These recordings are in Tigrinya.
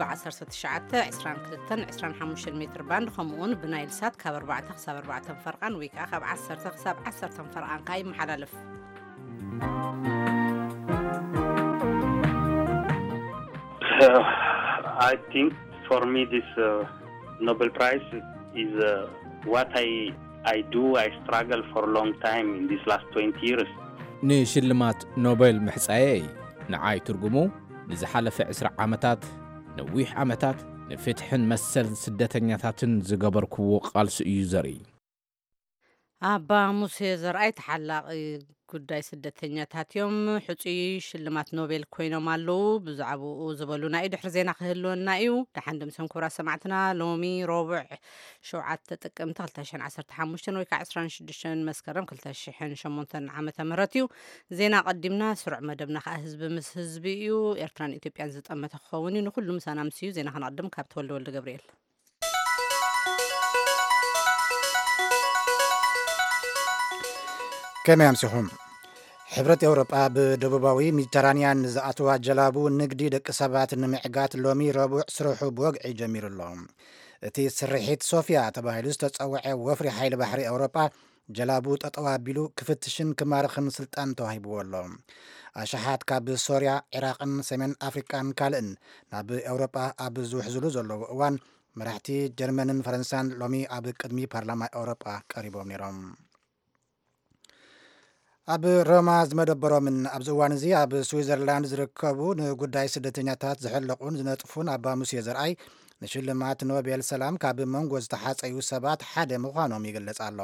ብ1922-25 ሜትር ባንድ፣ ከምኡውን ብናይል ሳት ካብ ኣርባዕተ ክሳብ ኣርባዕተ ፈርቓን ወይ ከዓ ካብ ዓሰርተ ክሳብ ዓሰርተ ፈርቓን ከዓ ይመሓላለፍ። I think for me this uh, Nobel Prize is uh, what I I do. I struggle for a long time in these last twenty years. ንሽልማት ኖቤል ምሕጻየይ ንዓይ ትርጉሙ ንዝሓለፈ ዕስራ ዓመታት ነዊሕ ዓመታት ንፍትሕን መሰል ስደተኛታትን ዝገበርክዎ ቃልሲ እዩ ዘርኢ። ኣባ ሙሴ ዘርኣይ ተሓላቒ ጉዳይ ስደተኛታት እዮም። ሕፁይ ሽልማት ኖቤል ኮይኖም ኣለዉ። ብዛዕባኡ ዝበሉና እዩ ድሕሪ ዜና ክህልወና እዩ። ደሓን ድምሰም ክቡራት ሰማዕትና። ሎሚ ረቡዕ ሸውዓተ ጥቅምቲ ክልተ ሽሕን ዓሰርተ ሓሙሽተን ወይ ከዓ ዕስራን ሽዱሽተን መስከረም ክልተ ሽሕን ሸሞንተን ዓመተ ምህረት እዩ። ዜና ቀዲምና ስሩዕ መደብና ከዓ ህዝቢ ምስ ህዝቢ እዩ። ኤርትራን ኢትዮጵያን ዝጠመተ ክኸውን እዩ። ንኩሉ ምሳና ምስ እዩ። ዜና ከነቐድም ካብ ተወልደ ወልደ ገብርኤል። ከመይ ኣምሲኹም? ሕብረት ኤውሮጳ ብደቡባዊ ሜዲተራንያን ንዝኣትዋ ጀላቡ ንግዲ ደቂ ሰባት ንምዕጋት ሎሚ ረቡዕ ስርሑ ብወግዒ ጀሚሩ ኣሎ። እቲ ስርሒት ሶፊያ ተባሂሉ ዝተጸውዐ ወፍሪ ሓይሊ ባሕሪ ኤውሮጳ ጀላቡ ጠጠው ኣቢሉ ክፍትሽን ክማርኽን ስልጣን ተዋሂብዎ ኣሎ። ኣሽሓት ካብ ሶርያ፣ ዒራቕን ሰሜን ኣፍሪቃን ካልእን ናብ ኤውሮጳ ኣብ ዝውሕዝሉ ዘለዉ እዋን መራሕቲ ጀርመንን ፈረንሳን ሎሚ ኣብ ቅድሚ ፓርላማ ኤውሮጳ ቀሪቦም ነይሮም። ኣብ ሮማ ዝመደበሮምን ኣብዚ እዋን እዚ ኣብ ስዊዘርላንድ ዝርከቡ ንጉዳይ ስደተኛታት ዝሕለቑን ዝነጥፉን ኣባ ሙሴ ዘርኣይ ንሽልማት ኖቤል ሰላም ካብ መንጎ ዝተሓፀዩ ሰባት ሓደ ምዃኖም ይግለጽ ኣሎ።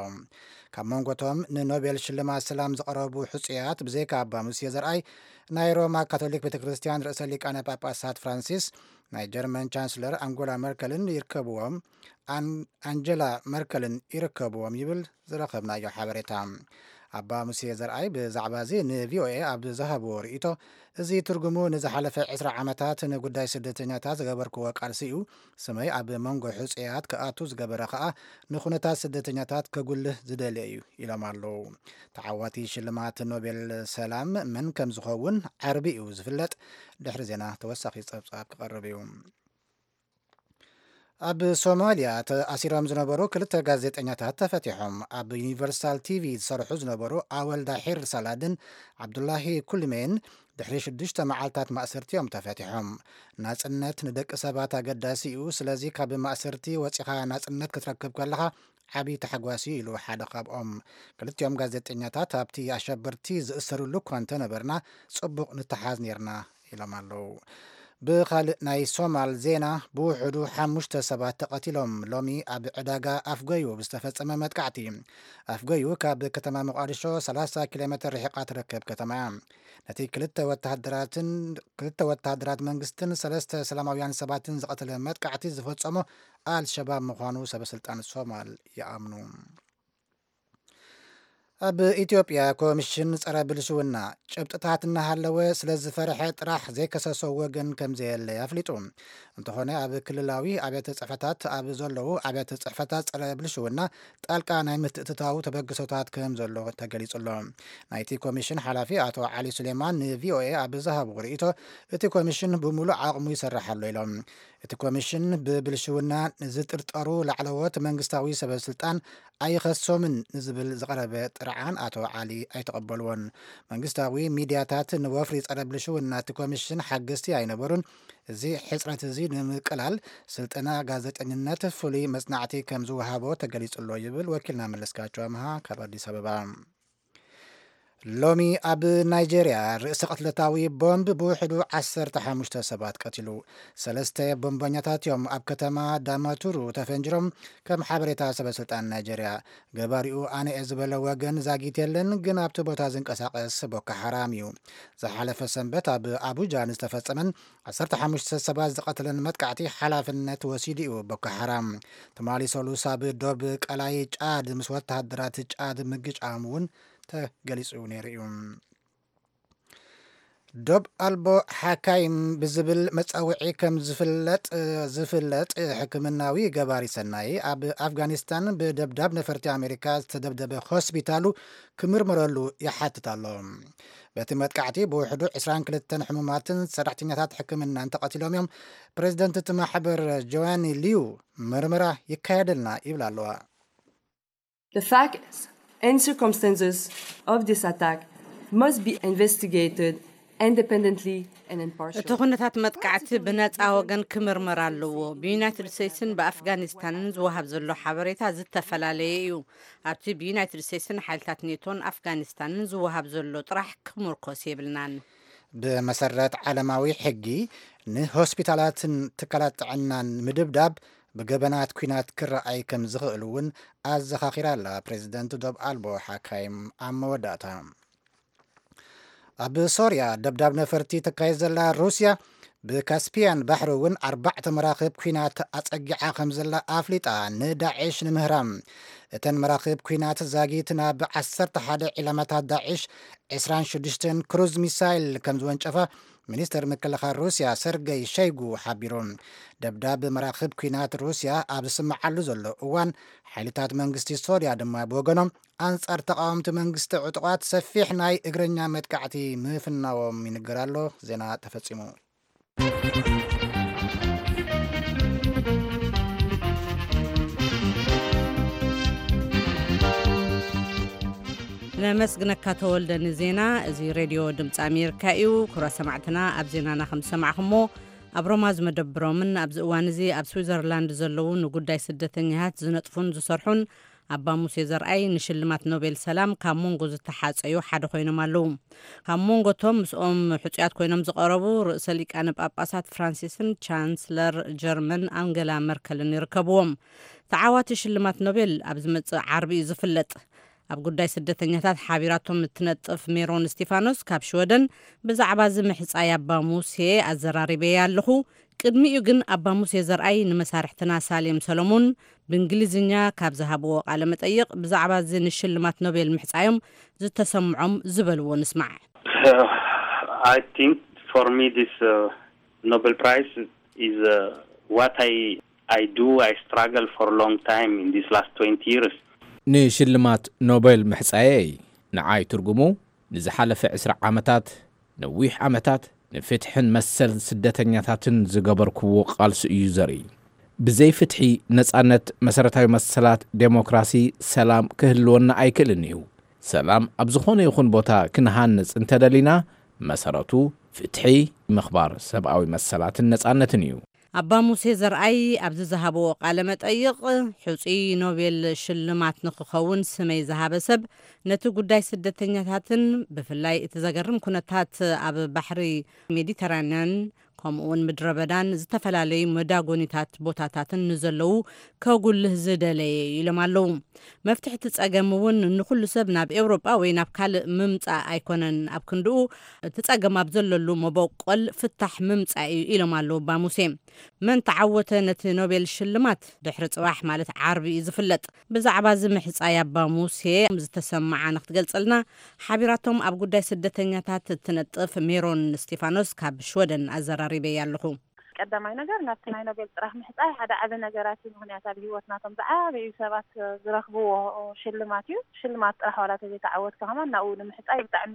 ካብ መንጎቶም ንኖቤል ሽልማት ሰላም ዝቐረቡ ሕፁያት ብዘይካ ኣባ ሙሴ ዘርኣይ ናይ ሮማ ካቶሊክ ቤተ ክርስቲያን ርእሰ ሊቃነ ጳጳሳት ፍራንሲስ፣ ናይ ጀርመን ቻንስለር ኣንጎላ መርከልን ይርከብዎም ኣንጀላ መርከልን ይርከብዎም ይብል ዝረኸብናዮ ሓበሬታ። ኣባ ሙሴ ዘርኣይ ብዛዕባ እዚ ንቪኦኤ ኣብ ዝሃብዎ ርእይቶ፣ እዚ ትርጉሙ ንዝሓለፈ ዕስራ ዓመታት ንጉዳይ ስደተኛታት ዝገበርክዎ ቃልሲ እዩ። ስመይ ኣብ መንጎ ሕፁያት ክኣቱ ዝገበረ ከኣ ንኩነታት ስደተኛታት ከጉልህ ዝደልየ እዩ ኢሎም ኣለዉ። ተዓዋቲ ሽልማት ኖቤል ሰላም መን ከም ዝኸውን ዓርቢ እዩ ዝፍለጥ። ድሕሪ ዜና ተወሳኺ ጸብጻብ ክቐርብ እዩ። ኣብ ሶማልያ ተኣሲሮም ዝነበሩ ክልተ ጋዜጠኛታት ተፈቲሖም። ኣብ ዩኒቨርሳል ቲቪ ዝሰርሑ ዝነበሩ ኣወል ዳሒር ሳላድን ዓብዱላሂ ኩልሜን ድሕሪ ሽዱሽተ መዓልታት ማእሰርቲ እዮም ተፈቲሖም። ናጽነት ንደቂ ሰባት ኣገዳሲ እዩ፣ ስለዚ ካብ ማእሰርቲ ወጺኻ ናጽነት ክትረክብ ከለኻ ዓቢ ተሓጓስ እዩ ኢሉ ሓደ ካብኦም። ክልቲኦም ጋዜጠኛታት ኣብቲ ኣሸበርቲ ዝእሰሩሉ እኳ እንተነበርና ጽቡቕ ንተሓዝ ነርና ኢሎም ኣለዉ። ብኻልእ ናይ ሶማል ዜና ብውሕዱ ሓሙሽተ ሰባት ተቐቲሎም። ሎሚ ኣብ ዕዳጋ ኣፍጎዩ ብዝተፈጸመ መጥቃዕቲ። ኣፍጎዩ ካብ ከተማ መቃዲሾ ሰላሳ ኪሎ ሜትር ርሒቓ ትርከብ ከተማ እያ። ነቲ ክልተ ወተሃደራትን ክልተ ወተሃደራት መንግስትን ሰለስተ ሰላማውያን ሰባትን ዝቐተለ መጥቃዕቲ ዝፈጸሞ ኣልሸባብ ምዃኑ ሰበስልጣን ሶማል ይኣምኑ። ኣብ ኢትዮጵያ ኮሚሽን ጸረ ብልሽውና ጭብጥታት እናሃለወ ስለ ዝፈርሐ ጥራሕ ዘይከሰሶ ወገን ከም ዘየለ ኣፍሊጡ። እንተኾነ ኣብ ክልላዊ ኣብያተ ጽሕፈታት ኣብ ዘለዉ ኣብያተ ጽሕፈታት ጸረ ብልሽውና ጣልቃ ናይ ምትእትታው ተበግሶታት ከም ዘሎ ተገሊጹ ኣሎ። ናይቲ ኮሚሽን ሓላፊ ኣቶ ዓሊ ሱሌማን ንቪኦኤ ኣብ ዝሃብዎ ርእይቶ፣ እቲ ኮሚሽን ብምሉእ ዓቕሙ ይሰርሕ ኣሎ ኢሎም። እቲ ኮሚሽን ብብልሽውና ንዝጥርጠሩ ላዕለዎት መንግስታዊ ሰበስልጣን ኣይኸሶምን ንዝብል ዝቐረበ ጥርዓን ኣቶ ዓሊ ኣይተቐበልዎን። መንግስታዊ ሚድያታት ንወፍሪ ጸረ ብልሽውና እቲ ኮሚሽን ሓገዝቲ ኣይነበሩን። እዚ ሕጽረት እዚ ንምቅላል ስልጠና ጋዜጠኝነት ፍሉይ መጽናዕቲ ከም ዝወሃቦ ተገሊጹ ኣሎ ይብል ወኪልና መለስካቸው ኣምሃ ካብ ኣዲስ ኣበባ። ሎሚ ኣብ ናይጄርያ ርእሰ ቅትለታዊ ቦምብ ብውሕዱ ዓሰርተ ሓሙሽተ ሰባት ቀቲሉ። ሰለስተ ቦምበኛታት እዮም ኣብ ከተማ ዳማቱሩ ተፈንጅሮም፣ ከም ሓበሬታ ሰበስልጣን ናይጄርያ። ገባሪኡ ኣነ እየ ዝበለ ወገን ዛጊት የለን፣ ግን ኣብቲ ቦታ ዝንቀሳቐስ ቦኮ ሓራም እዩ። ዝሓለፈ ሰንበት ኣብ ኣቡጃ ንዝተፈጸመን ዓሰርተ ሓሙሽተ ሰባት ዝቐተለን መጥቃዕቲ ሓላፍነት ወሲዱ እዩ ቦኮ ሓራም። ትማሊ ሰሉስ ኣብ ዶብ ቀላይ ጫድ ምስ ወተሃደራት ጫድ ምግጫም እውን ተገሊጹ ነይሩ እዩ። ዶብ ኣልቦ ሓካይም ብዝብል መጻውዒ ከም ዝፍለጥ ዝፍለጥ ሕክምናዊ ገባሪ ሰናይ ኣብ ኣፍጋኒስታን ብደብዳብ ነፈርቲ ኣሜሪካ ዝተደብደበ ሆስፒታሉ ክምርመረሉ ይሓትት ኣሎ። በቲ መጥቃዕቲ ብውሕዱ ዕስራን ክልተን ሕሙማትን ሰራሕተኛታት ሕክምናን ተቐቲሎም እዮም። ፕሬዚደንት እቲ ማሕበር ጆዋኒ ሊዩ፣ ምርመራ ይካየደልና ይብል ኣለዋ። The facts and circumstances of this attack must be investigated independently and impartially. እቲ ኩነታት መጥቃዕቲ ብነፃ ወገን ክምርመር ኣለዎ። ብዩናይትድ ስቴትስን ብኣፍጋኒስታንን ዝወሃብ ዘሎ ሓበሬታ ዝተፈላለየ እዩ። ኣብቲ ብዩናይትድ ስቴትስን ሓይልታት ኔቶን ኣፍጋኒስታንን ዝወሃብ ዘሎ ጥራሕ ክምርኮስ የብልናን። ብመሰረት ዓለማዊ ሕጊ፣ ንሆስፒታላትን ትካላት ጥዕናን ምድብዳብ ብገበናት ኲናት ክረኣይ ከም ዝኽእል እውን ኣዘኻኺራ ኣላ ፕሬዚደንት ዶብ ኣልቦ ሓካይም ኣብ መወዳእታ። ኣብ ሶርያ ደብዳብ ነፈርቲ ተካየድ ዘላ ሩስያ፣ ብካስፒያን ባሕሪ እውን ኣርባዕተ መራኽብ ኲናት ኣጸጊዓ ከም ዘላ ኣፍሊጣ፣ ንዳዕሽ ንምህራም። እተን መራኽብ ኲናት ዛጊት ናብ ዓሰርተ ሓደ ዒላማታት ዳዕሽ፣ ዕስራን ሽዱሽተን ክሩዝ ሚሳይል ከም ዝወንጨፋ ሚኒስተር ምክልኻል ሩስያ ሰርገይ ሸይጉ ሓቢሩ። ደብዳብ መራኽብ ኲናት ሩስያ ኣብ ዝስምዓሉ ዘሎ እዋን፣ ሓይልታት መንግስቲ ሶርያ ድማ ብወገኖም ኣንጻር ተቓወምቲ መንግስቲ ዕጡቓት ሰፊሕ ናይ እግረኛ መጥቃዕቲ ምፍናዎም ይንገር ኣሎ። ዜና ተፈጺሙ። ነመስግነካ ተወልደ ንዜና። እዚ ሬድዮ ድምፂ ኣሜሪካ እዩ። ክቡራት ሰማዕትና፣ ኣብ ዜናና ከም ዝሰማዕኹሞ፣ ኣብ ሮማ ዝመደብሮምን ኣብዚ እዋን እዚ ኣብ ስዊዘርላንድ ዘለዉ ንጉዳይ ስደተኛታት ዝነጥፉን ዝሰርሑን ኣባ ሙሴ ዘርኣይ ንሽልማት ኖቤል ሰላም ካብ መንጎ ዝተሓፀዩ ሓደ ኮይኖም ኣለዉ። ካብ መንጎ እቶም ምስኦም ሕፁያት ኮይኖም ዝቐረቡ ርእሰ ሊቃነ ጳጳሳት ፍራንሲስን ቻንስለር ጀርመን ኣንገላ መርከልን ይርከብዎም። ተዓዋቲ ሽልማት ኖቤል ኣብ ዝመፅእ ዓርቢ እዩ ዝፍለጥ። ኣብ ጉዳይ ስደተኛታት ሓቢራቶም እትነጥፍ ሜሮን እስቲፋኖስ ካብ ሽወደን ብዛዕባ እዚ ምሕጻይ ኣባ ሙሴ ኣዘራሪበያ ኣለኹ። ቅድሚኡ ግን ኣባ ሙሴ ዘርኣይ ንመሳርሕትና ሳሌም ሰሎሞን ብእንግሊዝኛ ካብ ዝሃብዎ ቃለ መጠይቕ ብዛዕባ እዚ ንሽልማት ኖቤል ምሕጻዮም ዝተሰምዖም ዝበልዎ ንስማዕ። I think for me this uh, Nobel Prize is uh, what I I do. I struggle for a long time in these last twenty years. ንሽልማት ኖቤል ምሕጻየይ ንዓይ ትርጉሙ ንዝሓለፈ ዕስራ ዓመታት፣ ነዊሕ ዓመታት ንፍትሕን መሰል ስደተኛታትን ዝገበርክዎ ቃልሲ እዩ ዘርኢ። ብዘይ ፍትሒ፣ ነጻነት፣ መሰረታዊ መሰላት፣ ዴሞክራሲ፣ ሰላም ክህልወና ኣይክእልን እዩ። ሰላም ኣብ ዝኾነ ይኹን ቦታ ክንሃንጽ እንተደሊና፣ መሰረቱ ፍትሒ፣ ምኽባር ሰብኣዊ መሰላትን ነጻነትን እዩ። ኣባ ሙሴ ዘርኣይ ኣብዚ ዝሃብዎ ቃለ መጠይቕ፣ ሕጹይ ኖቤል ሽልማት ንክኸውን ስመይ ዝሃበ ሰብ፣ ነቲ ጉዳይ ስደተኛታትን ብፍላይ እቲ ዘገርም ኩነታት ኣብ ባሕሪ ሜዲተራንያን ከምኡውን ምድረ በዳን ዝተፈላለዩ መዳጎኒታት ቦታታትን ንዘለዉ ከጉልህ ዝደለየ ኢሎም ኣለዉ። መፍትሒ እቲ ጸገም እውን ንኩሉ ሰብ ናብ ኤውሮጳ ወይ ናብ ካልእ ምምጻእ ኣይኮነን፣ ኣብ ክንድኡ እቲ ጸገም ኣብ ዘለሉ መበቆል ፍታሕ ምምጻእ እዩ ኢሎም ኣለዉ ኣባ ሙሴ። መን ተዓወተ ነቲ ኖቤል ሽልማት ድሕሪ ጽባሕ ማለት ዓርቢ እዩ ዝፍለጥ። ብዛዕባ እዚ ምሕጻይ ኣባ ሙሴ ዝተሰምዓ ንክትገልጸልና ሓቢራቶም ኣብ ጉዳይ ስደተኛታት እትነጥፍ ሜሮን እስቲፋኖስ ካብ ሽወደን ኣዘራሪበያ ኣለኹ። ቀዳማይ ነገር ናብቲ ናይ ኖቤል ጥራሕ ምሕፃይ ሓደ ዓቢ ነገራት እዩ። ምክንያት ኣብ ህይወት ናቶም ዝዓበዩ ሰባት ዝረኽብዎ ሽልማት እዩ። ሽልማት ጥራሕ ዋላ ተዘይተዓወትካ ከማን ናብኡ ንምሕፃይ ብጣዕሚ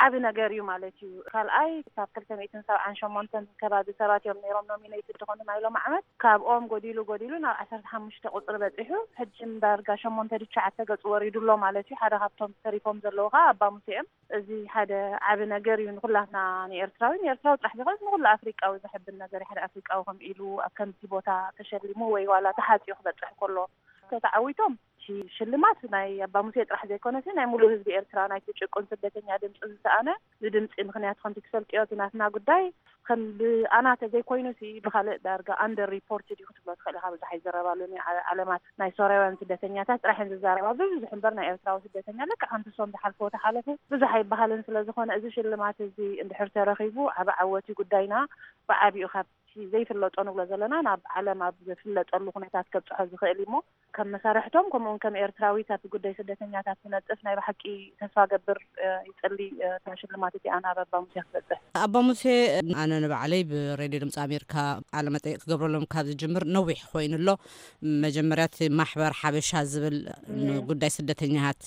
ዓቢ ነገር እዩ ማለት እዩ። ካልኣይ ካብ ክልተ ሚእትን ሰብዓን ሸሞንተን ከባቢ ሰባት እዮም ነይሮም ኖሚኔትድ ዝኾኑ ናይ ሎም ዓመት። ካብኦም ጎዲሉ ጎዲሉ ናብ ዓሰርተ ሓሙሽተ ቁፅሪ በፂሑ ሕጂ ዳርጋ ሸሞንተ ትሽዓተ ገፁ ወሪዱ ኣሎ ማለት እዩ። ሓደ ካብቶም ተሪፎም ዘለዉ ከዓ ኣባ ሙሴ እዮም። እዚ ሓደ ዓቢ ነገር እዩ ንኩላትና ንኤርትራዊ ንኤርትራዊ ጥራሕ ዘይኮነስ ንኩሉ ኣፍሪቃዊ ዘሕብን ነገር እዩ። ሓደ ኣፍሪቃዊ ከም ኢሉ ኣብ ከምዚ ቦታ ተሸሊሙ ወይ ዋላ ተሓፂኡ ክበፅሕ ከሎ ተተዓዊቶም ሽልማት ናይ ኣባ ሙሴ ጥራሕ ዘይኮነሲ ናይ ሙሉእ ህዝቢ ኤርትራ ናይቲ ጭቁን ስደተኛ ድምፂ ዝሰኣነ ዝድምፂ ምክንያት ከምቲ ትፈልጥዮ እቲ ናትና ጉዳይ ከም ብኣና ተዘይኮይኑ ሲ ብካልእ ዳርጋ ኣንደር ሪፖርትድ እዩ ክትብሎ ትኽእል ኢኻ። ብዙሕ ኣይዘረባሉን እዩ። ዓለማት ናይ ሶርያውያን ስደተኛታት ጥራሕ እየን ዝዛረባ ብብዙሕ እምበር ናይ ኤርትራዊ ስደተኛ ልክዕ ከምቲ እሶም ዝሓልፍዎ ተሓለፉ ብዙሕ ኣይበሃልን። ስለ ዝኾነ እዚ ሽልማት እዚ እንድሕር ተረኺቡ ዓቢ ዓወት እዩ። ጉዳይና ብዓቢኡ ካብቲ ዘይፍለጦ ንብሎ ዘለና ናብ ዓለም ኣብ ዝፍለጠሉ ኩነታት ከብፅሖ ዝኽእል እዩ እሞ ከም መሳርሕቶም ከምኡውን ከም ኤርትራዊት ኣብቲ ጉዳይ ስደተኛታት ትነጥፍ ናይ ብሓቂ ተስፋ ገብር ይጽሊ እታ ሽልማት እቲኣ ናብ ኣባ ሙሴ ክትበጽሕ። ኣባ ሙሴ፣ ኣነ ንባዕለይ ብሬድዮ ድምፂ ኣሜሪካ ቃለ መጠይቅ ክገብረሎም ካብ ዝጅምር ነዊሕ ኮይኑ ኣሎ። መጀመርያ እቲ ማሕበር ሓበሻ ዝብል ንጉዳይ ስደተኛታት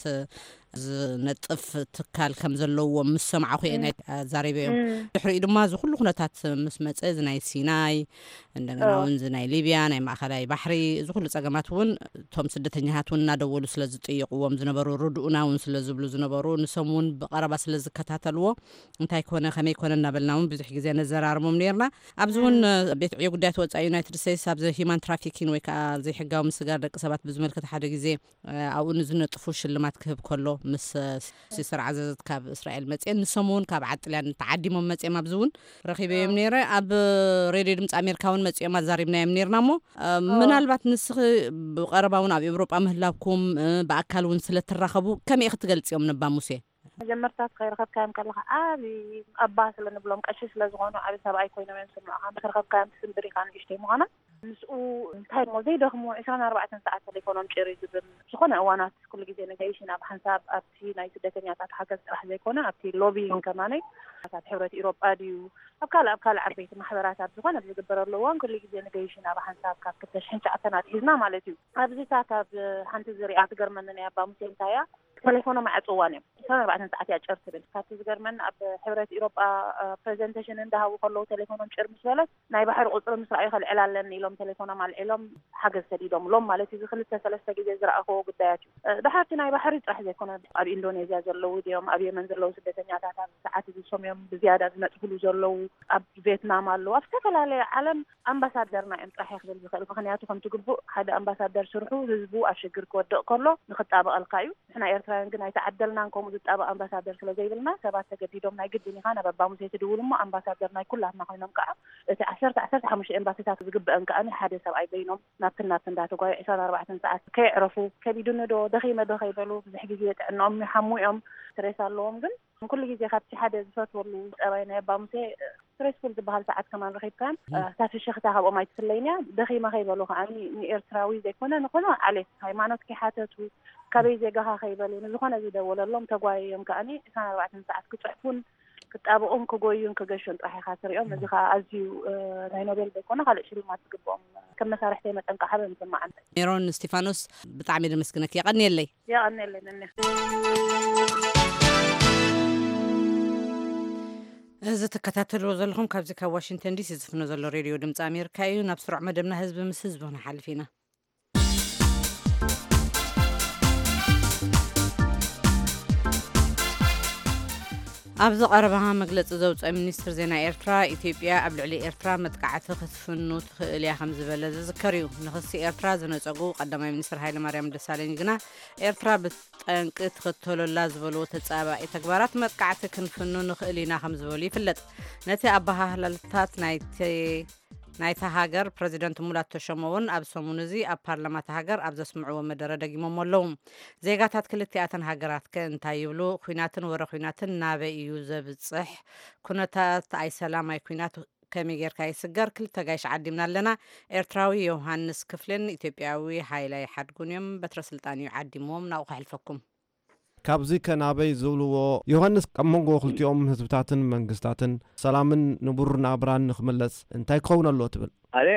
ዝነጥፍ ትካል ከም ዘለዎም ምስ ሰማዕኹ እየ ናይ ኣዛሪበ እዮም። ድሕሪኡ ድማ እዚ ኩሉ ኩነታት ምስ መፀ፣ እዚ ናይ ሲናይ፣ እንደገና እውን እዚ ናይ ሊብያ፣ ናይ ማእኸላይ ባሕሪ፣ እዚ ኩሉ ፀገማት እውን እቶም ስደተኛታት እውን እናደወሉ ስለ ዝጥይቕዎም ዝነበሩ፣ ርድኡና እውን ስለ ዝብሉ ዝነበሩ፣ ንሶም እውን ብቐረባ ስለ ዝከታተልዎ፣ እንታይ ኮነ ከመይ ኮነ እናበልና እውን ብዙሕ ግዜ ነዘራርቦም ነርና። ኣብዚ እውን ቤት ዕዮ ጉዳያት ወፃኢ ዩናይትድ ስቴትስ ኣብዚ ሂማን ትራፊኪን ወይ ከዓ ዘይሕጋዊ ምስጋር ደቂ ሰባት ብዝመልከት ሓደ ግዜ ኣብኡ ንዝነጥፉ ሽልማት ክህብ ከሎ ምስ ሲስተር ዓዘዘት ካብ እስራኤል መፅየን፣ ንሶም እውን ካብ ዓጥልያን ተዓዲሞም መፅዮም ኣብዚ እውን ረኺበዮም ነይረ። ኣብ ሬድዮ ድምፂ ኣሜሪካ እውን መፅዮም ኣዛሪብናዮም ነርና። እሞ ምናልባት ንስኺ ብቐረባ እውን ኣብ ኤውሮጳ ምህላውኩም ብኣካል እውን ስለትራኸቡ ከመይ ክትገልፅዮም ነባ ሙሴ? መጀመርታ ከይረኸብካዮም ከለኻ ዓቢ ኣባ ስለ ንብሎም፣ ቀሺ ስለ ዝኾኑ፣ ዓቢ ሰብኣይ ኮይኖም እዮም ስምዑኻ። ምስ ረኸብካዮም ትስንብር ኢኻ ንእሽተይ ምዃና። ምስኡ እንታይ እሞ ዘይደኽሙ ዕስራን ኣርባዕተን ሰዓት ቴሌፎኖም ጭር እዩ ዝብል። ዝኾነ እዋናት ኩሉ ግዜ ንገይሽ ኢና ብሓንሳብ ኣብቲ ናይ ስደተኛታት ሓገዝ ጥራሕ ዘይኮነ ኣብቲ ሎቢይን ከማነይ ኣብ ሕብረት ኢሮጳ ድዩ ኣብ ካልእ ኣብ ካልእ ዓበይቲ ማሕበራት ኣብ ዝኾነ ዝግበረሉ እዋን ኩሉ ግዜ ንገይሽ ኢና ብሓንሳብ ካብ ክልተ ሽሕን ትሽዓተን ኣትሒዝና ማለት እዩ። ኣብዚታት ኣብ ሓንቲ ዝሪኣ ትገርመኒ ናይ ኣባ ሙሴ እንታይ እያ ተሌፎኖም ኣዕፅዋን እዮም። ዕስራን ኣርባዕተን ሰዓት እያ ጭር ትብል። ካብቲ ዝገርመኒ ኣብ ሕብረት ኢሮጳ ፕሬዘንቴሽን እንዳሃቡ ከለዉ ተሌፎኖም ጭር ምስ በለት ናይ ባሕሪ ቁፅሪ ምስ ረኣዩ ከልዕል ኣለኒ ኢሎም ተሌፎኖም ኣልዒሎም ሓገዝ ሰዲዶምሎም ማለት እዩ። እዚ ክልተ ሰለስተ ግዜ ዝረኣኽዎ ጉዳያት እዩ። ድሓርቲ ናይ ባሕሪ ጥራሕ ዘይኮነ ኣብ ኢንዶኔዝያ ዘለዉ ድዮም ኣብ የመን ዘለዉ ስደተኛታት ኣብ ሰዓት እዚ ሶም እዮም ብዝያዳ ዝነጥፍሉ ዘለዉ። ኣብ ቬትናም ኣለዉ ኣብ ዝተፈላለየ ዓለም ኣምባሳደርና እዮም ጥራሕ ክብል ዝኽእል። ምኽንያቱ ከምቲ ግቡእ ሓደ ኣምባሳደር ስርሑ ህዝቡ ኣብ ሽግር ክወድቕ ከሎ ንኽጣበቐልካ እዩ። ንሕና ኤርትራውያን ግን ኣይተዓደልናን ከምኡ ዝጣበቕ ኣምባሳደር ስለ ዘይብልና ሰባት ተገዲዶም ናይ ግድን ኢኻ ናብ ኣባ ሙሴ ትድውል እሞ ኣምባሳደር ናይ ኩላትና ኮይኖም ከዓ እቲ ዓሰርተ ዓሰርተ ሓሙሽተ ኤምባሲታት ዝግበአን ከዓ ሓደ ሰብኣይ በይኖም ናብትን ናብትን እንዳተጓዩ ዕስራን ኣርባዕተን ሰዓት ከየዕረፉ ከቢዱኒ ዶ ደኺመ ዶ ከይበሉ ብዙሕ ግዜ ጥዕንኦም ይሓሙ እዮም። ስትሬስ ኣለዎም ግን ኩሉ ግዜ ካብቲ ሓደ ዝፈትወሉ ፀባይ ናይ ኣባ ሙሴ ስትሬስፉል ዝበሃል ሰዓት ከማን ረኺብካን እታ ፍሽኽታ ካብኦም ኣይትፍለይን እያ። ደኺመ ከይበሉ ከዓኒ ንኤርትራዊ ዘይኮነ ንኾነ ዓሌት ሃይማኖት ከይሓተቱ ካበይ ዜጋኻ ከይበሉ ንዝኾነ ዝደወለሎም ተጓየዮም ከዓኒ ዕስራን ኣርባዕተን ሰዓት ክፅሕፉን ክጣበቑን ክጎዩን ክገሹን ጥራሕ ኢኻ ትሪኦም። እዚ ከዓ ኣዝዩ ናይ ኖቤል ዘይኮነ ካልእ ሽልማት ዝግብኦም ከም መሳርሕተይ መጠን ከዓ ሓበን ይስማዓኒ። ሜሮን እስቲፋኖስ ብጣዕሚ ደመስግነክ። የቐንየለይ። የቐንየለይ ነኒ። እዚ ትከታተልዎ ዘለኹም ካብዚ ካብ ዋሽንግተን ዲሲ ዝፍኖ ዘሎ ሬድዮ ድምፂ ኣሜሪካ እዩ። ናብ ስሩዕ መደብና ህዝቢ ምስ ህዝቢ ክንሓልፍ ኢና። ኣብዚ ቀረባ መግለፂ ዘውፅአ ሚኒስትር ዜና ኤርትራ፣ ኢትዮጵያ ኣብ ልዕሊ ኤርትራ መጥቃዕቲ ክትፍኑ ትኽእል እያ ከም ዝበለ ዝዝከር እዩ። ንክሲ ኤርትራ ዝነፀጉ ቀዳማይ ሚኒስትር ሃይለማርያም ደሳለኝ ግና ኤርትራ ብጠንቂ ትኽተሎ ኣላ ዝበልዎ ተጻባኢ ተግባራት መጥቃዕቲ ክንፍኑ ንኽእል ኢና ከም ዝበሉ ይፍለጥ። ነቲ ኣበሃህላታት ናይቲ ናይታ ሃገር ፕረዚደንት ሙላቱ ተሾመ እውን ኣብ ሰሙን እዚ ኣብ ፓርላማ እታ ሃገር ኣብ ዘስምዕዎ መደረ ደጊሞሞ ኣለዉ። ዜጋታት ክልቲኣተን ሃገራት ከ እንታይ ይብሉ? ኲናትን ወረ ኲናትን ናበይ እዩ ዘብጽሕ? ኩነታት ኣይሰላም ኣይኲናት ከመይ ጌርካ ይስገር? ክልተ ጋይሽ ዓዲምና ኣለና። ኤርትራዊ ዮሃንስ ክፍሌን ኢትዮጵያዊ ሃይላይ ሓድጉን እዮም። በትረ ስልጣን እዩ ዓዲምዎም። ናብኡ ከሕልፈኩም። ካብዚ ከ ናበይ ዝብልዎ? ዮሃንስ፣ ካብ መንጎ ክልቲኦም ህዝብታትን መንግስታትን ሰላምን ንቡር ናብራን ንኽምለስ እንታይ ክኸውን ኣለዎ ትብል? ኣነ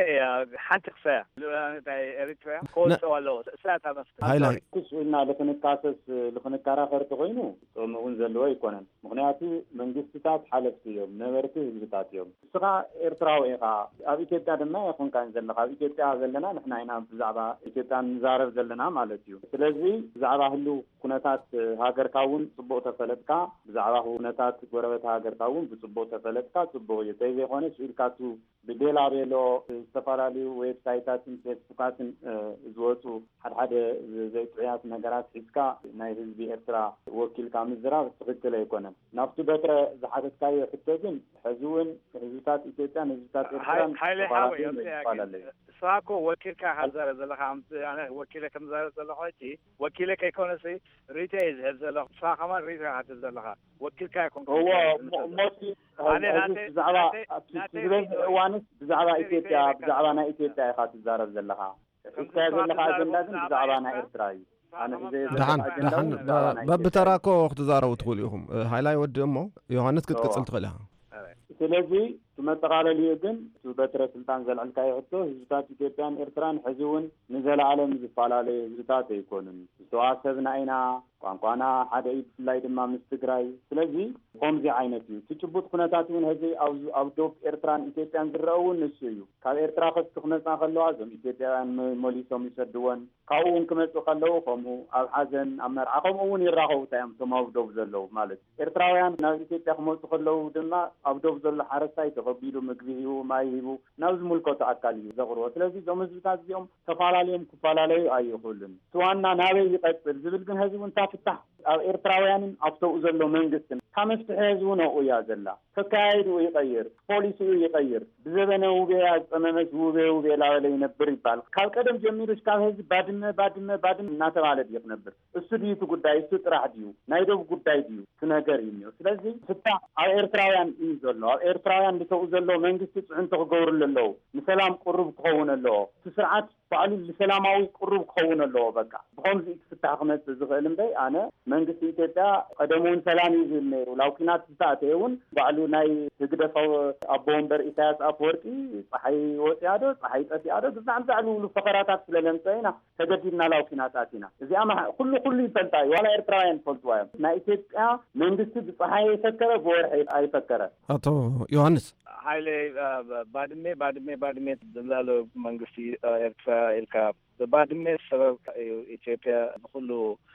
ሓንቲ ክሳያ ልኡላውነት ናይ ኤሪትራ ክወፅኦ ኣለዎ። እሳ እታ መፍትሒ። ሃይላይ። ኩስ ኢልና ልክንካሰስ ልክንከራኸር ተኮይኑ ጥቕሚ እውን ዘለዎ ኣይኮነን። ምኽንያቱ መንግስትታት ሓለፍቲ እዮም፣ ነበርቲ ህዝብታት እዮም። ንስኻ ኤርትራዊ ኢኻ፣ ኣብ ኢትዮጵያ ድማ ኣይኮንካን ዘለኻ። ኣብ ኢትዮጵያ ዘለና ንሕና ኢና ብዛዕባ ኢትዮጵያ ንዛረብ ዘለና ማለት እዩ። ስለዚ ብዛዕባ ህልው ኩነታት ሃገርካ እውን ጽቡቕ ተፈለጥካ፣ ብዛዕባ ኩነታት ጎረበት ሃገርካ እውን ብጽቡቕ ተፈለጥካ ጽቡቕ እዩ። ተይዘይኮነ ስኢልካ ቱ ብቤላ ቤሎ ዝተፈላለዩ ዌብሳይታትን ፌስቡካትን ዝወፁ ሓድሓደ ዘይጥዑያት ነገራት ሒዝካ ናይ ህዝቢ ኤርትራ ወኪልካ ምዝራብ ትኽክል ኣይኮነን። ናብቲ በትረ ዝሓተትካዮ ሕቶ ግን ሕዚ እውን ህዝብታት ኢትዮጵያን ህዝብታት ኤርትራን ሃይለ ሓወይ ይፈላለዩ። ንስኻ እኮ ወኪልካ ኢኻ ትዛረብ ዘለኻ። ኣነ ወኪለ ከም ዝዛረብ ዘለኹ ሕጂ ወኪለ ከይኮነሲ ርእይቶ እየ ዝህብ ዘለኹ። ንስኻ ከማን ርእይቶ ኢኻ ትህብ ዘለኻ። ወኪልካ ኣይኮንኩን። እዎ፣ እሞ እቲ ብዛዕባ ዝበዝሕ እዋንስ ብዛዕባ ኢትዮጵያ፣ ብዛዕባ ናይ ኢትዮጵያ ኢኻ ትዛረብ ዘለኻ። ሒዝካዮ ዘለኻ ኣጀንዳ ግን ብዛዕባ ናይ ኤርትራ እዩ። ኣነ ሒዘዮ ዘለኹ ኣጀንዳ እውን ብዛዕባ ናይ ኢትዮጵያ እዩ። በብተራ እኮ ክትዛረቡ ትኽእሉ ኢኹም። ሃይላይ ወዲ እሞ ዮሃንስ ክትቅጽል ትኽእል ኢኻ። ስለዚ ብመጠቓለሊኡ ግን፣ እቲ በትረ ስልጣን ዘልዕልካዮ ሕቶ፣ ህዝብታት ኢትዮጵያን ኤርትራን ሕዚ እውን ንዘለኣለም ዝፈላለዩ ህዝብታት ኣይኮኑን። ዝተዋሰብና ኢና፣ ቋንቋና ሓደ እዩ፣ ብፍላይ ድማ ምስ ትግራይ። ስለዚ ከምዚ ዓይነት እዩ እቲ ጭቡጥ ኩነታት እውን። ሕዚ ኣብ፣ ኣብ ዶብ ኤርትራን ኢትዮጵያን ዝረአ እውን ንሱ እዩ። ካብ ኤርትራ ከፍቲ ክመጻ ከለዋ፣ እዞም ኢትዮጵያውያን መ-፣ መሊሶም ይሰድወን። ካብኡ እውን ክመጹ ከለዉ ከምኡ፣ ኣብ ሓዘን፣ ኣብ መርዓ ከምኡ እውን ይራኸቡ። እንታይ እዮም እቶም ኣብ ዶብ ዘለዉ ማለት እዩ። ኤርትራውያን ናብ ኢትዮጵያ ክመጹ ከለዉ ድማ፣ ኣብ ዶብ ዘሎ ሓረስታይ ተቐቢሉ፣ ምግቢ ሂቡ፣ ማይ ሂቡ፣ ናብ ዝምልከቶ ኣካል እዩ ዘቕርቦ። ስለዚ እዞም ህዝብታት እዚኦም ተፈላለዮም ክፈላለዩ ኣይኽእሉን። እቲ ዋና ናበይ ይቐጽል ዝብል ግን፣ ሕዚ እውን እታ ፍታሕ ኣብ ኤርትራውያንን ኣብተኡ ዘሎ መንግስትን፣ እታ መፍትሒ ሕዚ እውን ኣብኡ እያ ዘላ። ከካያይድኡ ይቐይር፣ ፖሊሲኡ ይቐይር። ብዘበነ ውቤያ ዝጸመመስ ውቤ ውቤ ላበለ ይነብር ይባል። ካብ ቀደም ጀሚሩ እስካብ ሕዚ ባድመ፣ ባድመ፣ ባድመ እናተባለ ድዩ ክነብር? እሱ ድዩ እቲ ጉዳይ? እሱ ጥራሕ ድዩ? ናይ ዶብ ጉዳይ ድዩ? እቲ ነገር እዩ እኒኦ። ስለዚ ፍታሕ ኣብ ኤርትራውያን እዩ ዘሎ። ኣብ ኤርትራውያን ዝተኡ ዘሎ መንግስቲ ጽዕንቶ ክገብርሉ ኣለዎ። ንሰላም ቅሩብ ክኸውን ኣለዎ። እቲ ስርዓት ባዕሉ ንሰላማዊ ቅሩብ ክኸውን ኣለዎ። በቃ ብኸምዚ እዩ ክፍታሕ ክመጽእ ዝኽእል እምበይ፣ ኣነ መንግስቲ ኢትዮጵያ ቀደም እውን ሰላም እዩ ዝብል ነይሩ። ላብ ኲናት ዝተኣተየ እውን ባዕሉ ናይ ህግደፍ ኣቦ ወንበር ኢሳያስ ኣፈወርቂ፣ ጸሓይ ወጺኣ ዶ ጸሓይ ጠፊኣ ዶ፣ ግዛዕ ምዛዕ ዝብሉ ፈኸራታት ስለ ለምጸ ኢና ተገዲድና ላብ ኲናት ኣቲና። እዚኣ መሓ-፣ ኩሉ፣ ኩሉ ይፈልጣ እዩ። ዋላ ኤርትራውያን ይፈልጥዋ እዮም። ናይ ኢትዮጵያ መንግስቲ ብጸሓይ የፈከረ፣ ብወርሒ ኣይፈከረ። ኣቶ ዮሃንስ። ሓይለ፣ እ፣ ባድሜ፣ ባድሜ፣ ባድሜ ዝብላሉ መንግስቲ፣ እ፣ ኤርትራ ኢልካ፣ ብባድሜ ሰበብ እዩ ኢትዮጵያ ብኩሉ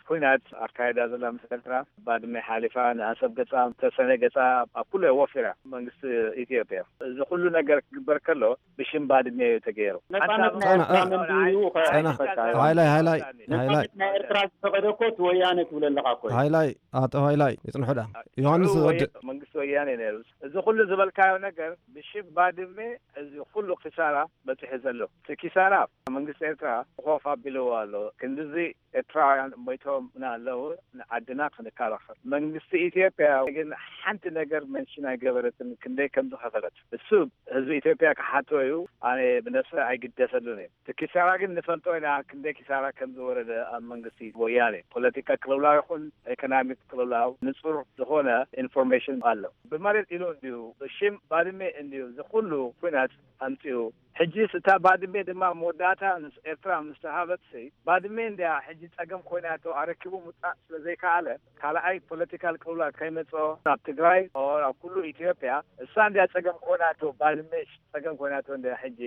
ኩናት ኣካይዳ ዘላ ምስ ኤርትራ። ባድሜ ሓሊፋ፣ ንኣሰብ ገጻ፣ ተሰነ ገጻ፣ ኣብ ኩሉ ወፊራ መንግስቲ ኢትዮጵያ። እዚ ኩሉ ነገር ክግበር ከሎ ብሽም ባድሜ እዩ ተገይሩ። ነጻነት ኣንታ ናይ ኤርትራ ኣነ፣ መን ድዩ? ጸና፣ ጸና። ሓይላይ፣ ሓይላይ፣ ሓይላይ። ነጻነት ናይ ኤርትራ ዝፈቐደ እኮ እቲ ወያነ ትብል ኣለኻ እኮ እዩ። ሓይላይ፣ ኣቶ ሓይላይ፣ ይጽንሑ ደኣ። ዮሃንስ ሽዑ ወዲ ወየ-፣ መንግስቲ ወያነ ነይሩ። እዚ ኩሉ ዝበልካዮ ነገር ብሽም ባድሜ እዚ ኩሉ ኪሳራ በጺሑ ዘሎ። እቲ ኪሳራ መንግስቲ ኤርትራ ኮፍ ኣቢልዎ ኣሎ። ክንድዚ ኤርትራውያን ሞይቶምና ኣለዉ፣ ንዓድና ክንከላኸል። መንግስቲ ኢትዮጵያ ግን ሓንቲ ነገር መንሽን ኣይገበረትን፣ ክንደይ ከም ዝኸፈለት። እሱ ህዝቢ ኢትዮጵያ ክሓቶ እዩ፣ ኣነ ብነብሰ ኣይግደሰሉን እየ። እቲ ኪሳራ ግን ንፈልጦ ኢና፣ ክንደይ ኪሳራ ከም ዝወረደ ኣብ መንግስቲ ወያኔ። ፖለቲካ ቅልውላው ይኹን ኢኮኖሚክ ቅልውላው ንጹር ዝኾነ ኢንፎርሜሽን ኣሎ። ብመሬት ኢሉ እንድዩ፣ ብሽም ባድሜ እንድዩ፣ እዚ ኩሉ ኩናት ኣምጺኡ። ሕጂስ እታ ባድሜ ድማ መወዳእታ ምስ ኤርትራ ምስ ተሃበትሲ፣ ባድሜ እንድያ ሕጂ ጸገም ኮይናቶ፣ ኣረኪቡ ምውጻእ ስለ ዘይከኣለ፣ ካልኣይ ፖለቲካል ቅልውላው ከይመጽኦ ኣብ ትግራይ፣ ኦር ኣብ ኩሉ ኢትዮጵያ፣ እሳ እንድያ ጸገም ኮይናቶ፣ ባድሜ ጸገም ኮይናቶ እንድያ ሕጂ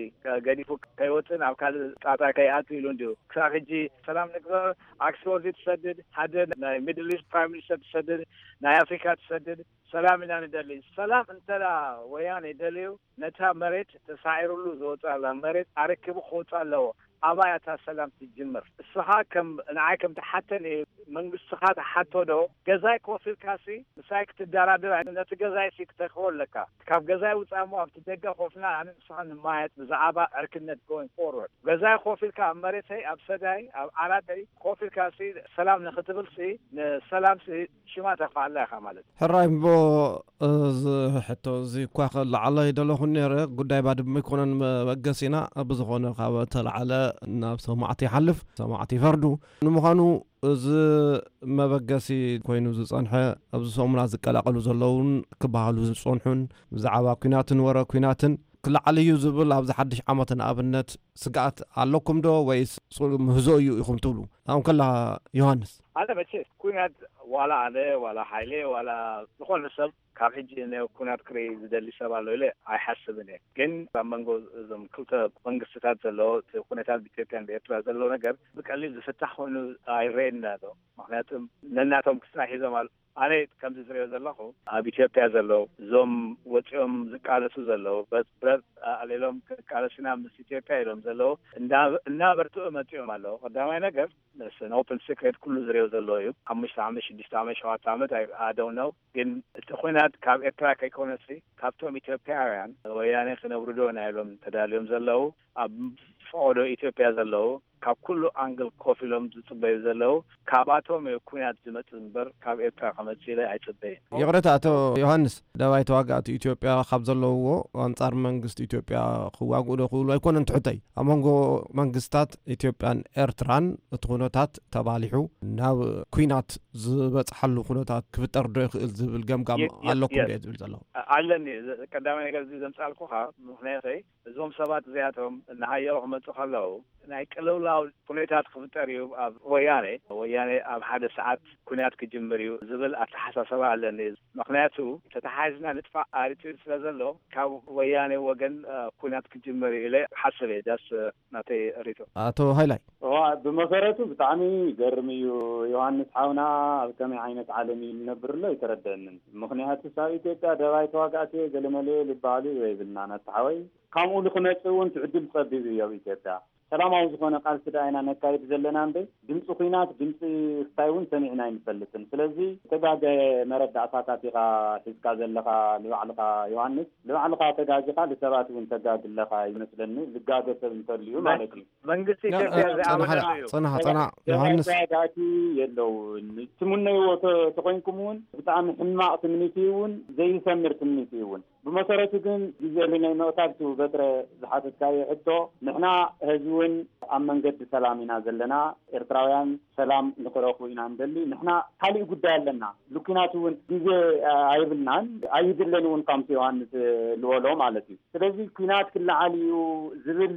ገዲፉ ከይወጽእ፣ ናብ ካልእ ጣጣ ከይኣቱ ኢሉ እንድዩ። ክሳብ ሕጂ ሰላም ንግበር፣ ኣክስፎርድ ትሰድድ፣ ሓደ ናይ ሚድል ኢስት ፕራይም ሚኒስተር ትሰድድ፣ ናይ ኣፍሪካ ትሰድድ፣ ሰላም ኢና ንደሊ። ሰላም እንተ ደኣ ወያኔ ደልዩ፣ ነታ መሬት ተሳዒሩሉ ዝወጽኣላ መሬት ኣረኪቡ ክወጽእ ኣለዎ። ኣባይ እታ ሰላም ትጅምር። እስኻ ከም፣ ንዓይ ከም ትሓተኒ፣ መንግስትኻ ትሓቶ ዶ? ገዛይ ኮፍ ኢልካሲ ምሳይ ክትደራደር፣ ነቲ ገዛይሲ ክተክቦ ኣለካ። ካብ ገዛይ ውጻእ እሞ ኣብቲ ደገ ኮፍና ኣነ ንስኻ ንማየጥ ብዛዕባ ዕርክነት going forward። ገዛይ ኮፍ ኢልካ ኣብ መሬተይ፣ ኣብ ሰዳይ፣ ኣብ ዓራተይ ኮፍ ኢልካሲ ሰላም ንኽትብልሲ፣ ንሰላምሲ ሽማ ተኽፍኣላ ኢኻ ማለት እዩ። ሕራይ እሞ፣ እዚ ሕቶ እዚ እኳ ከለዓሎ ይደለኹ ነይረ፣ ጉዳይ ባድመ ኣይኮነን መበገሲና። ብዝኾነ፣ ካብ ተለዓለ ናብ ሰማዕቲ ይሓልፍ፣ ሰማዕቲ ይፈርዱ። ንምዃኑ፣ እዚ መበገሲ ኮይኑ ዝጸንሐ፣ ኣብዚ ሰሙናት ዝቀላቐሉ ዘለውን ክበሃሉ ዝጸንሑን፣ ብዛዕባ ኲናትን ወረ ኲናትን ክለዓል እዩ ዝብል ኣብዚ ሓድሽ ዓመት ንኣብነት ስግኣት ኣለኩም ዶ፣ ወይስ ጽ-፣ ምህዞ እዩ ኢኹም ትብሉ? ኣብኡ ከላ ዮሃንስ። ኣነ መቼስ ኲናት ዋላ ኣነ፣ ዋላ ሓይሌ፣ ዋላ ዝኾነ ሰብ ካብ ሕጂ ንኩናት ክርኢ ዝደሊ ሰብ ኣሎ ኢለ ኣይሓስብን እየ። ግን ኣብ መንጎ እዞም ክልተ መንግስትታት ዘሎ እቲ ኩነታት ብኢትዮጵያን ብኤርትራ ዘሎ ነገር ብቀሊል ዝፍታሕ ኮይኑ ኣይረኤና ኣሎ። ምኽንያቱ ነናቶም ክስና ሒዞም ኣሎ። ኣነ ከምዚ ዝሪኦ ዘለኹ ኣብ ኢትዮጵያ ዘለዉ እዞም ወፂኦም ዝቃለሱ ዘለዉ፣ ብረት ኣዕሊሎም ክቃለሱና ምስ ኢትዮጵያ ኢሎም ዘለዉ እና-፣ እናበርትዑ መፂኦም ኣለዉ። ቀዳማይ ነገር፣ it's an open secret፣ ኩሉ ዝሪኦ ዘሎ እዩ። ሓሙሽተ ዓመት፣ ሽዱሽተ ዓመት፣ ሸውዓተ ዓመት፣ I፣ I don't know። ግን እቲ ኹናት ካብ ኤርትራ ከይኮነሲ ካብቶም ኢትዮጵያውያን ወያኔ ክነብሩ ዶ ኢና ኢሎም ተዳልዮም ዘለዉ ኣብ ፈቐዶ ኢትዮጵያ ዘለዉ ካብ ኩሉ ኣንግል ኮፍ ኢሎም ዝጽበዩ ዘለዉ፣ ካብኣቶም እዩ ኩናት ዝመጽእ እምበር ካብ ኤርትራ ክመጽእ ኢለ ኣይጽበይን። ይቕረታ ኣቶ ዮሃንስ፣ ደባይ ተዋጋእቲ ኢትዮጵያ ካብ ዘለውዎ ኣንጻር መንግስቲ ኢትዮጵያ ክዋግኡ ዶ ክብሉ ኣይኮነን ትሕተይ። ኣብ መንጎ መንግስታት ኢትዮጵያን ኤርትራን እቲ ኩነታት ተባሊሑ ናብ ኩናት ዝበጽሓሉ ኩነታት ክፍጠር ዶ ይኽእል ዝብል ገምጋም ኣለኩም ድየ ዝብል ዘለኹ? ኣለኒ። ቀዳማይ ነገር እዚ ዘምጻልኩኻ ምኽንያተይ እዞም ሰባት እዚኣቶም እናሃየሩ ክመፁ ከለዉ ናይ ቅልውላው ኩነታት ክፍጠር እዩ ኣብ ወያኔ። ወያኔ ኣብ ሓደ ሰዓት ኩናት ክጅምር እዩ ዝብል ኣተሓሳሰባ ኣለኒ። ምኽንያቱ ተተሓሒዝና ንጥፋእ ኣሪቱ ስለ ዘሎ ካብ ወያኔ ወገን ኩናት ክጅምር እዩ ኢለ ሓስብ እየ። ዳስ ናተይ ሪቶ። ኣቶ ሃይላይ። ብመሰረቱ ብጣዕሚ ይገርም እዩ ዮሃንስ ሓውና፣ ኣብ ከመይ ዓይነት ዓለም እዩ ዝነብር ኣሎ ኣይተረደአንን። ምኽንያቱ ኣብ ኢትዮጵያ ደባይ ተዋጋእቲ ገለመለ ዝበሃሉ የብልናን ኣታ ሓወይ። ከምኡ ንክመፅእ እውን ትዕድል ፀቢብ እዩ ኣብ ኢትዮጵያ። ሰላማዊ ዝኾነ ቃልሲ ደኣ ኢና ነካይድ ዘለና እምበይ ድምፂ ኹናት ድምፂ ክታይ እውን ሰሚዕና ኣይንፈልጥን። ስለዚ ተጋገ መረዳእታታት ኢኻ ሒዝካ ዘለኻ ንባዕልኻ ዮሃንስ። ንባዕልኻ ተጋጊኻ ንሰባት እውን ተጋጊ ኣለኻ ይመስለኒ። ዝጋገ ሰብ እንተልዩ ማለት እዩ። መንግስቲ ኢትዮጵያ ዝኣመነሉ እዩ። ፅናሕ ፅናሕ ዮሃንስ። ተጋጊ የለውን። ትምነይዎ ተኮይንኩም እውን ብጣዕሚ ሕማቕ ትምኒት እዩ እውን ዘይሰምር ትምኒት እዩ እውን። ብመሰረቱ ግን ግዜ ልናይ ምቕታል ቱ በትረ ዝሓተትካዮ ሕቶ ንሕና ህዝቢ እውን ኣብ መንገዲ ሰላም ኢና ዘለና። ኤርትራውያን ሰላም ንክረኽቡ ኢና ንደሊ። ንሕና ካሊእ ጉዳይ ኣለና። ልኩናት እውን ግዜ ኣይብልናን ኣይድለን እውን ከምቲ ዮሃንስ ዝበሎ ማለት እዩ። ስለዚ ኩናት ክለዓል እዩ ዝብል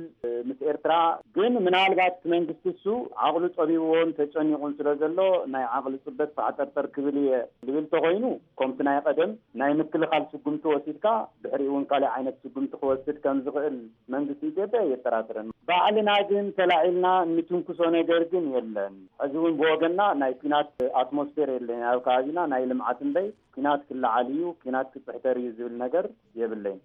ምስ ኤርትራ ግን ምናልባት እቲ መንግስቲ እሱ ዓቕሉ ጸቢብዎን ተጨኒቑን ስለ ዘሎ ናይ ዓቕሊ ጽበት ፋዕጠርጠር ክብል እየ ዝብል ተኾይኑ ከምቲ ናይ ቀደም ናይ ምክልኻል ስጉምቲ ወሲድካ ድሕሪኡ እውን ካልእ ዓይነት ስጉምቲ ክወስድ ከም ዝኽእል መንግስቲ ኢትዮጵያ የጠራጥረን። ባዕልና ግን ተላዒልና እንትንኩሶ ነገር ግን የለን። ሕዚ እውን ብወገንና ናይ ኩናት ኣትሞስፌር የለን ኣብ ከባቢና ናይ ልምዓት እምበይ ኩናት ክለዓል እዩ ኩናት ክፅሕተር እዩ ዝብል ነገር የብለይን።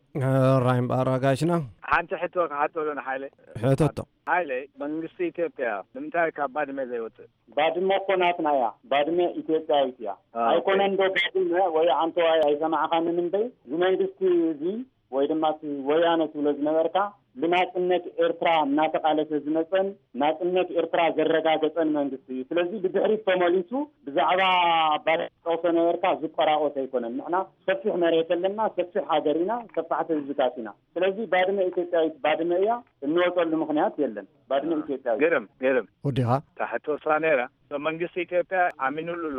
ራይ እምበኣር ኣጋይሽና ሓንቲ ሕቶ ክሓተሎ ንሓይለ ሕተቶ። ሓይለ መንግስቲ ኢትዮጵያ ንምንታይ ካብ ባድመ ዘይወፅእ? ባድመ እኮ ናትና እያ። ባድመ ኢትዮጵያዊት እያ። ኣይኮነን ዶ ባድመ ወይ ዓንተዋይ ኣይሰማዕኻንን እምበይ ዝመንግስቲ እዚ ወይ ድማ እቲ ወያነ ትብሎ ዝነበርካ ብናፅነት ኤርትራ እናተቓለሰ ዝመፀን ናፅነት ኤርትራ ዘረጋገፀን መንግስቲ እዩ። ስለዚ ብድሕሪት ተመሊሱ ብዛዕባ ባድመ ጠቕሶ ነበርካ ዝቆራቆስ ኣይኮነን። ንሕና ሰፊሕ መሬት ኣለና፣ ሰፊሕ ሃገር ኢና፣ ሰፋሕቲ ህዝብታት ኢና። ስለዚ ባድመ ኢትዮጵያዊት ባድመ እያ፣ እንወፀሉ ምክንያት የለን። ባድመ ኢትዮጵያዊት። ግርም ግርም። ወዲኻ። ታሕቲ ወስራ ነይራ። መንግስቲ ኢትዮጵያ ኣሚኑሉ ኣሎ።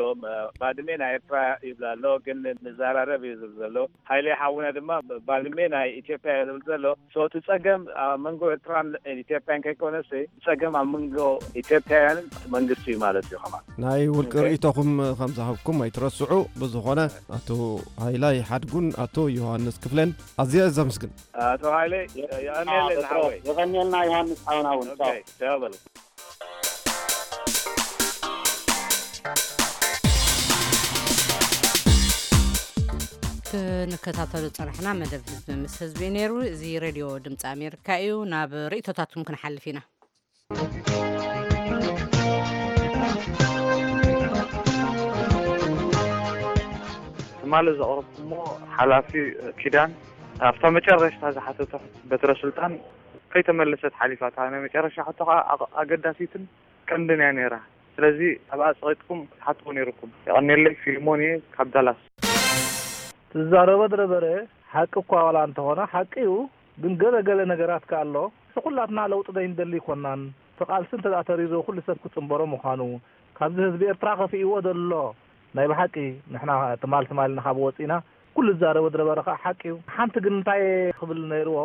ባድሜ ናይ ኤርትራ ይብል ኣሎ፣ ግን ንዘራረብ እዩ ዝብል ዘሎ። ሃይለ ሓውና ድማ ባድሜ ናይ ኢትዮጵያ እዩ ዝብል ዘሎ። So እቲ ጸገም ኣብ መንጎ ኤርትራን ኢትዮጵያን ከይኮነሲ ጸገም ኣብ መንጎ ኢትዮጵያውያንን መንግስቲ እዩ ማለት እዩ። ከማን ናይ ውልቂ ርእይቶኹም ከም ዝሃብኩም ኣይትረስዑ። ብዝኾነ ኣቶ ሃይላይ ሓድጉን ኣቶ ዮሃንስ ክፍለን ኣዝየ ዘምስግን። ኣቶ ሃይለ የቐንየለ ዝሓወይ። የቐንየልና ዮሃንስ ሓውና እውን። ቻው። ቻው በሉ። ክንከታተሎ ዝጸናሕና መደብ ህዝቢ ምስ ህዝቢ እዩ ነይሩ። እዚ ሬድዮ ድምፂ ኣሜሪካ እዩ። ናብ ርእይቶታትኩም ክንሓልፍ ኢና። ትማሊ ዘቕረብኩሞ ሓላፊ ኪዳን ኣብታ መጨረሽታ ዝሓተቶ በትረ ስልጣን ከይተመለሰት ሓሊፋ። እታ ናይ መጨረሻ ሕቶ ከዓ ኣገዳሲትን ቀንድን እያ ነይራ። ስለዚ ኣብኣ ጸቒጥኩም ክትሓትዎ ነይርኩም። የቐንየለይ። ፊልሞን እየ ካብ ዳላስ። ትዛረቦ ዝነበረ ሓቂ እኳ ዋላ እንተኾነ ሓቂ እዩ፣ ግን ገለ ገለ ነገራት ከኣ ኣሎ። ንኹላትና ለውጢ ዘይንደሊ ኣይኮናን። እቲ ቃልሲ እንተ ደኣ ተሪዞ ኩሉ ሰብ ክጽንበሮ ምዃኑ፣ ካብዚ ህዝቢ ኤርትራ ከፊእዎ ዘሎ ናይ ብሓቂ ንሕና ትማል ትማል ኢና ካብ ወጺእና፣ ኩሉ ዝዛረቦ ዝነበረ ከኣ ሓቂ እዩ። ሓንቲ ግን እንታይ ክብል ነይርዎ፣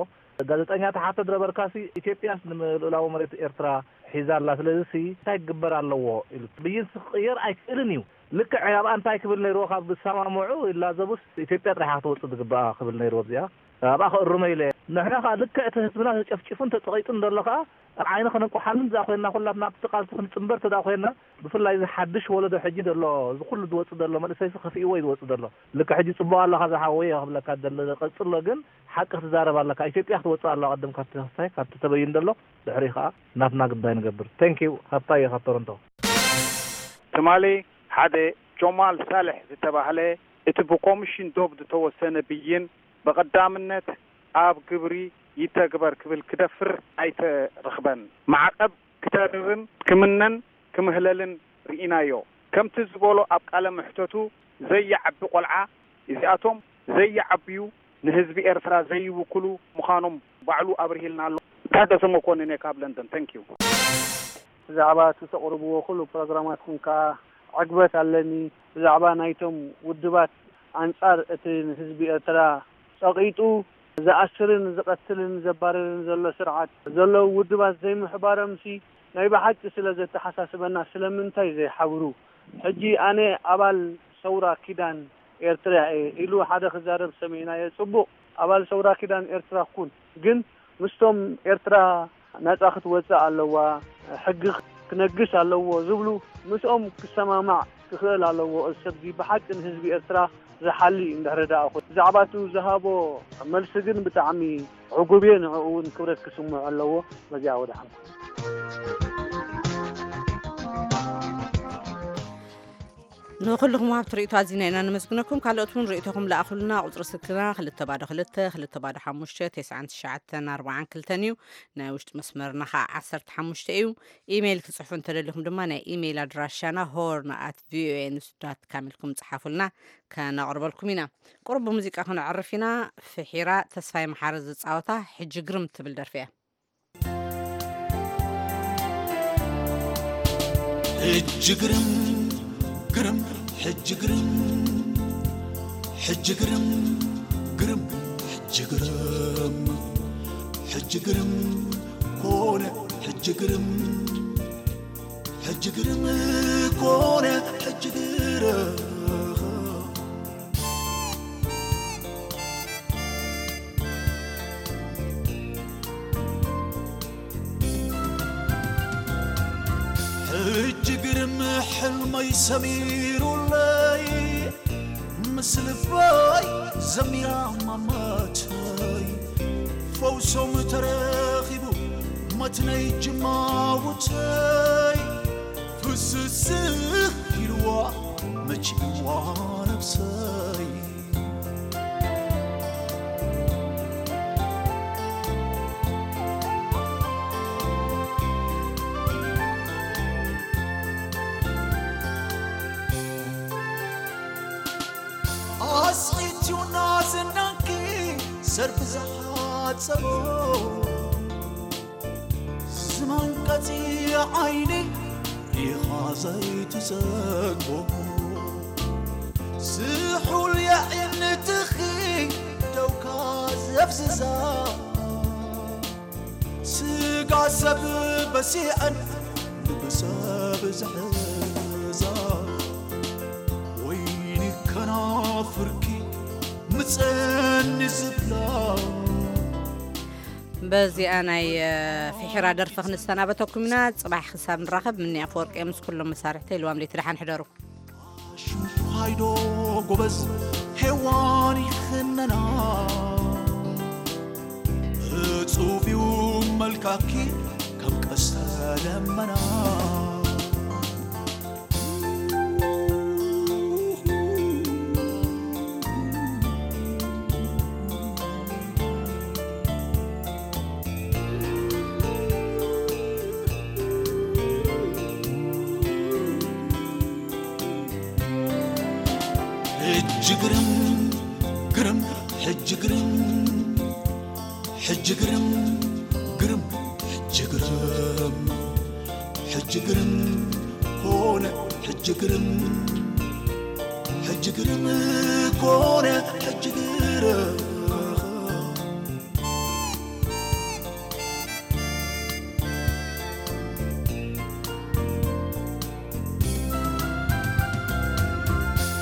ጋዜጠኛ ትሓቶ ዝነበርካሲ ኢትዮጵያስ ንልኡላዊ መሬት ኤርትራ ሒዛ ኣላ፣ ስለዚሲ እንታይ ክግበር ኣለዎ ኢሉ። ብይንሲ ክቕየር ኣይክእልን እዩ። ልክዕ ኣብኣ እንታይ ክብል ነይርዎ፣ ካብ ዝሰማምዑ ይላዘቡስ ኢትዮጵያ ጥራሕ ክትወፅእ ዝግብኣ ክብል ነይርዎ። ኣብዚኣ ኣብኣ ክእርሞ ኢለ። ንሕና ከዓ ልክዕ እቲ ህዝብና ተጨፍጭፉን ተፀቒጡን ዘሎ ከዓ ኣብ ዓይኒ ከነንቁሓሉን እዛ ኮይና ኩላትና ኣብቲ ቃልሲ ክንፅምበር ተዳ ኮይና ብፍላይ እዚ ሓድሽ ወለዶ ሕጂ ዘሎ እዚ ኩሉ ዝወፅእ ዘሎ መንእሰይሲ ከፊእዎ እዩ ዝወፅእ ዘሎ። ልክዕ ሕጂ ፅቡቕ ኣለኻ ዝሓወየ ክብለካ ደለ ቀፅሎ ግን ሓቂ ክትዛረብ ኣለካ። ኢትዮጵያ ክትወፅእ ኣለዋ ቅድም ካብቲ ተኸስታይ ካብቲ ተበይን ዘሎ ድሕሪ ከዓ ናትና ግዳይ ንገብር። Thank you ሃብታየ ካብ ቶሮንቶ። ትማሊ ሓደ ጆማል ሳልሕ ዝተባህለ እቲ ብኮሚሽን ዶብ ዝተወሰነ ብይን ብቐዳምነት ኣብ ግብሪ ይተግበር ክብል ክደፍር ኣይተረኽበን። ማዕቐብ ክተርርን ክምነን ክምህለልን ርኢናዮ። ከምቲ ዝበሎ ኣብ ቃለ መሕተቱ ዘይዓቢ ቆልዓ፣ እዚኣቶም ዘይዓብዩ ንህዝቢ ኤርትራ ዘይውክሉ ምዃኖም ባዕሉ ኣብርሂልና ኣሎ። ታደሰ መኮንን እየ ካብ ለንደን። Thank you። ብዛዕባ እቲ ተቕርብዎ ኩሉ ፕሮግራማትኩም ከኣ ዕግበት ኣለኒ። ብዛዕባ ናይቶም ውድባት ኣንጻር እቲ ንህዝቢ ኤርትራ ጸቒጡ ዝኣስርን ዝቐትልን ዘባርርን ዘሎ ስርዓት ዘለዉ ውድባት ዘይምሕባሮምሲ ናይ ብሓቂ ስለ ዘተሓሳስበና ስለምንታይ ዘይሓብሩ? ሕጂ ኣነ ኣባል ሰውራ ኪዳን ኤርትራ እየ ኢሉ ሓደ ክዛረብ ሰሚዕናዮ። ጽቡቕ፣ ኣባል ሰውራ ኪዳን ኤርትራ ኩን፣ ግን ምስቶም ኤርትራ ናጻ ክትወጽእ ኣለዋ፣ ሕጊ ክነግስ ኣለዎ ዝብሉ ምስኦም ክሰማማዕ ክኽእል ኣለዎ። እዚ ሰብዚ ብሓቂ ንህዝቢ ኤርትራ ዝሓሊ እንድሕሪ ደኣ ኮይኑ። ብዛዕባ እቱ ዝሃቦ መልሲ ግን ብጣዕሚ ዕጉብ እየ። ንዕኡ እውን ክብረት ክስምዖ ኣለዎ። በዚኣ ወድሓንኩም። ንኹልኹም ወሃብቲ ርእይቶ ኣዚና ኢና ነመስግነኩም። ካልኦት እውን ርእይቶኹም ለኣኹልና። ቁጽሪ ስልክና ክልተ ባዶ ክልተ፣ ክልተ ባዶ ሓሙሽተ፣ ተስዓን ትሽዓተን ኣርባዓን ክልተን እዩ። ናይ ውሽጢ መስመርና ኸዓ ዓሰርተ ሓሙሽተ እዩ። ኢሜይል ክትጽሕፉ እንተደሊኹም ድማ ናይ ኢሜይል ኣድራሻና ሆርን ኣት ቪኦኤ ኒውስ ዳት ካም ኢልኩም ጽሓፉልና፣ ከነቕርበልኩም ኢና። ቁሩብ ብሙዚቃ ክነዕርፍ ኢና። ፍሒራ ተስፋይ መሓሪ ዝጻወታ ሕጂ ግርም ትብል ደርፊ እያ። ሕጂ ግርም፣ ግርም፣ ሕጂ ግርም፣ ሕጂ ግርም፣ ግርም፣ ሕጂ ግርም፣ ሕጂ ግርም ኮነ፣ ሕጂ ግርም፣ ሕጂ ግርም ኮነ፣ ሕጂ ግርም። ሕጂ ግርም ሕልመይ ሰሚሩለይ፣ ምስ ልበይ ዘሚራ ማማተይ፣ ፈውሶም ተረኺቡ መትነይ ጅማውተይ፣ ፍስስህ ኢልዋ መቺዋ ነብሰይ። ኣስዒትዩና ዝናንኪ ሰርፊ ዝሓጸቦ፣ ዝመንቀጺ ዓይኒ ሪኻ ዘይትጸግቦ፣ ዝሑል የዒንትኺ ደውካ ዘፍዝዛ፣ ስጋ ሰብ በሲዐን ልቢ ሰብ ዝሕዛ፣ ወይኒ ከናፍርኪ ምጸኒ ዝብላ። በዚኣ ናይ፣ እ፣ ፍሒራ ደርፊ ክንሰናበተኩም ኢና። ጽባሕ ክሳብ ንራኸብ፣ ምኒ ኣፈወርቂ ምስ ኩሎም መሳርሕተይ ልዋም ለይቲ ደሓን ሕደሩ። ሽንኳይዶ ጎበዝ ሄዋን ይኽነና፣ እጹብ እዩ መልካኪ ከም ቀስተ ደመና። ሕጂ ግርም፣ ግርም፣ ሕጂ ግርም፣ ሕጂ ግርም፣ ግርም፣ ሕጂ ግርም፣ ሕጂ ግርም ኮነ፣ ሕጂ ግርም፣ ሕጂ ግርም ኮነ፣ ሕጂ ግርም።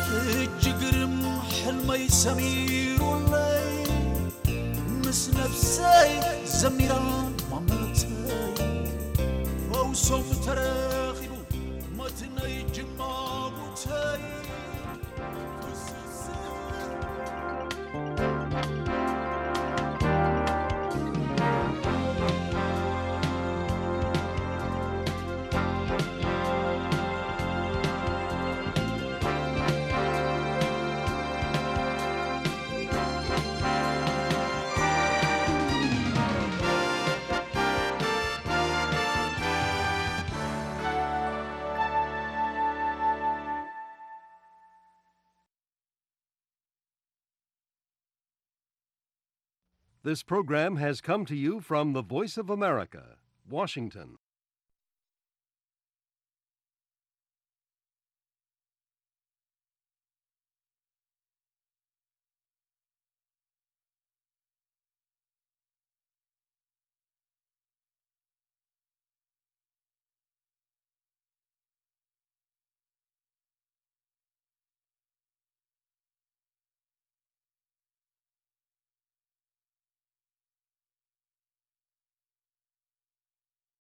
ሕጂ ግርም ሕልመይ ሰሚሩለይ፣ ምስ ነብሰይ ዘሚራ ማመተይ፣ ፈውሶም ተረኺቡ መትነይ ጅማውተይ። This program has come to you from the Voice of America, Washington.